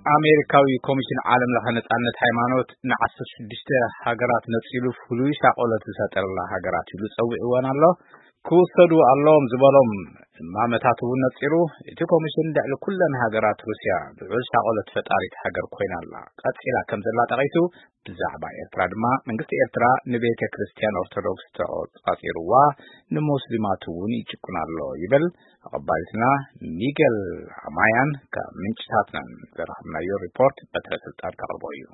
ኣሜሪካዊ ኮሚሽን ዓለም ለኸ ነጻነት ሃይማኖት ንዓሰርተ ሽዱሽተ ሃገራት ነጺሉ ፍሉይ ሻቆለት ዝፈጠረላ ሃገራት ኢሉ ጸዊዕወን ኣሎ። ክውሰዱ ኣለዎም ዝበሎም እማመታት እውን ነጺሩ። እቲ ኮሚሽን ልዕሊ ኩለን ሃገራት ሩስያ ልዑል ሻቆለት ፈጣሪት ሃገር ኮይና ኣላ፣ ቀጺላ ከም ዘላ ጠቒሱ፣ ብዛዕባ ኤርትራ ድማ መንግስቲ ኤርትራ ንቤተ ክርስቲያን ኦርቶዶክስ ተቆጻጺርዋ፣ ንሙስሊማት እውን ይጭቁን ኣሎ ይብል። ኣቐባሊትና ሚገል ኣማያን ካብ ምንጭታትናን ዘረኸብናዮ ሪፖርት በትረ ስልጣን ከቕርቦ እዩ።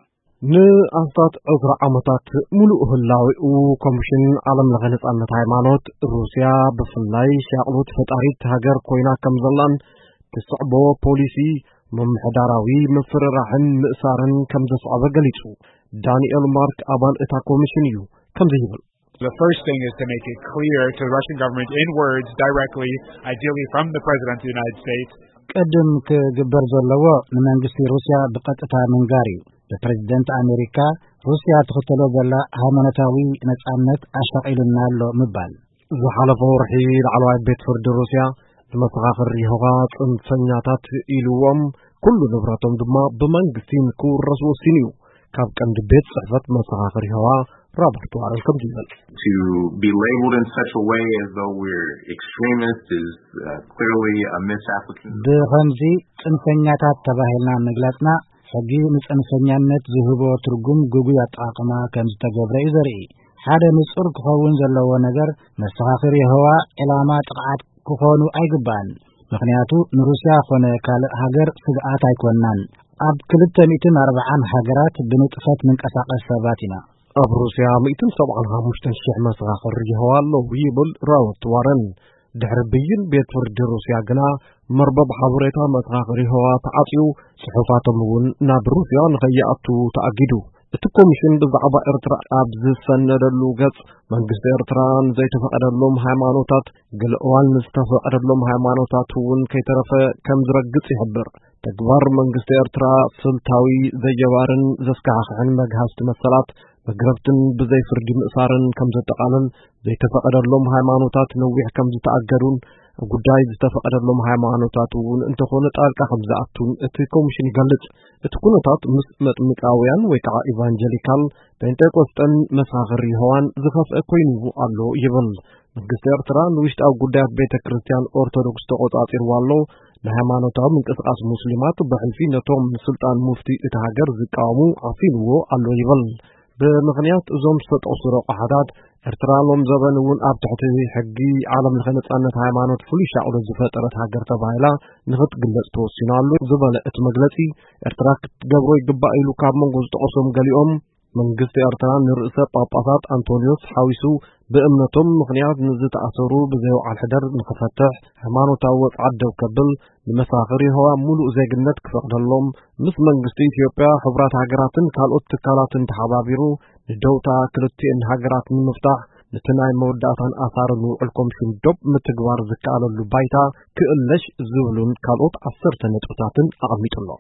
ንኣስታት ዕስራ ዓመታት ሙሉእ ህላዌኡ ኮሚሽን ዓለም ለኸ ነጻነት ሃይማኖት ሩስያ ብፍላይ ሻቕሎት ፈጣሪት ሃገር ኮይና ከም ዘላን ትስዕቦ ፖሊሲ ምምሕዳራዊ ምፍርራሕን ምእሳርን ከም ዘስዓበ ገሊጹ። ዳንኤል ማርክ ኣባል እታ ኮሚሽን እዩ። ከምዚ ይብል። The first thing is to make it clear to the Russian government in words directly, ideally from the President of the United States. ቅድም ክግበር ዘለዎ ንመንግስቲ ሩስያ ብቐጥታ ምንጋር እዩ። ብፕሬዝደንት ኣሜሪካ ሩስያ ትኽተሎ ዘላ ሃይማኖታዊ ነጻነት ኣሻቒሉና ኣሎ ምባል። ዝሓለፈ ወርሒ ላዕለዋይ ቤት ፍርዲ ሩስያ ንመሰኻኽር የሆዋ ጽንፈኛታት ኢልዎም፣ ኩሉ ንብረቶም ድማ ብመንግስቲ ንክውረስ ወሲኑ እዩ። ካብ ቀንዲ ቤት ጽሕፈት መሰኻኽር የሆዋ ሮበርት ዋረን ከምዚ ይብል። To be labeled in such a way as though we're extremists is uh, clearly a misapplication. ብኸምዚ ጽንፈኛታት ተባሂልና ምግላጽና ሕጊ ንጽንፈኛነት ዝህቦ ትርጉም ግጉይ ኣጠቓቕማ ከም ዝተገብረ እዩ ዘርኢ። ሓደ ንጹር ክኸውን ዘለዎ ነገር መሰኻኽር የሆዋ ዕላማ ጥቕዓት ክኾኑ ኣይግባእን። ምኽንያቱ ንሩስያ ኾነ ካልእ ሃገር ስግኣት ኣይኮንናን። ኣብ ክልተ ሚእትን ኣርባዓን ሃገራት ብንጥፈት ንንቀሳቐስ ሰባት ኢና። ኣብ ሩስያ ሚእትን ሰብዓን ሓሙሽተን ሽሕ መሰኻኽር የሆዋ ኣለዉ ይብል ራወት ዋረን። ድሕሪ ብይን ቤት ፍርዲ ሩስያ ግና መርበብ ሓበሬታ መሰኻኽር የሆዋ ተዓጽዩ፣ ጽሑፋቶም እውን ናብ ሩስያ ንኸይኣቱ ተኣጊዱ። እቲ ኮሚሽን ብዛዕባ ኤርትራ ኣብ ዝሰነደሉ ገጽ መንግስቲ ኤርትራ ንዘይተፈቐደሎም ሃይማኖታት፣ ገለ እዋን ንዝተፈቐደሎም ሃይማኖታት እውን ከይተረፈ ከም ዝረግጽ ይሕብር። ተግባር መንግስቲ ኤርትራ ስልታዊ፣ ዘየባርን ዘስካሕክሕን መግሃስቲ መሰላት፣ መግረፍትን ብዘይ ፍርዲ ምእሳርን ከም ዘጠቓልል፣ ዘይተፈቐደሎም ሃይማኖታት ነዊሕ ከም ዝተኣገዱን ኣብ ጉዳይ ዝተፈቐደሎም ሃይማኖታት እውን እንተኾነ ጣልቃ ከም ዝኣቱን እቲ ኮሚሽን ይገልጽ። እቲ ኩነታት ምስ መጥምቃውያን ወይ ከዓ ኢቫንጀሊካል ጴንጤቆስጠን መሰኻኽር የሆዋን ዝኸፍአ ኮይኑ ኣሎ ይብል። መንግስቲ ኤርትራ ንውሽጣዊ ጉዳያት ቤተ ክርስቲያን ኦርቶዶክስ ተቆጻጺርዋ ኣሎ። ንሃይማኖታዊ ምንቅስቃስ ሙስሊማት ብሕልፊ ነቶም ንስልጣን ሙፍቲ እቲ ሃገር ዝቃወሙ ዓፊንዎ ኣሎ ይብል። ብምኽንያት እዞም ዝተጠቕሱ ረቋሕታት፣ ኤርትራ ሎም ዘበን እውን ኣብ ትሕቲ ሕጊ ዓለም ለኸ ነጻነት ሃይማኖት ፍሉይ ሻቕሎት ዝፈጠረት ሃገር ተባሂላ ንኽትግለጽ ተወሲኑ ኣሎ ዝበለ እቲ መግለጺ፣ ኤርትራ ክትገብሮ ይግባእ ኢሉ ካብ መንጎ ዝጠቐሶም ገሊኦም፣ መንግስቲ ኤርትራ ንርእሰ ጳጳሳት ኣንቶንዮስ ሓዊሱ ብእምነቶም ምኽንያት ንዝተኣሰሩ ብዘይ ወዓል ሕደር ንኽፈትሕ፣ ሃይማኖታዊ ወጽዓት ደው ከብል፣ ንመሰኻኽር የሆዋ ሙሉእ ዜግነት ክፈቕደሎም፣ ምስ መንግስቲ ኢትዮጵያ፣ ሕቡራት ሃገራትን ካልኦት ትካላትን ተሓባቢሩ ንደውታ ክልቲኤን ሃገራት ንምፍታሕ፣ ነቲ ናይ መወዳእታን ኣሳርን ውዕል ኮሚሽን ዶብ ምትግባር ዝከኣለሉ ባይታ ክእለሽ ዝብሉን ካልኦት ዓሰርተ ነጥብታትን ኣቐሚጡ ኣሎ።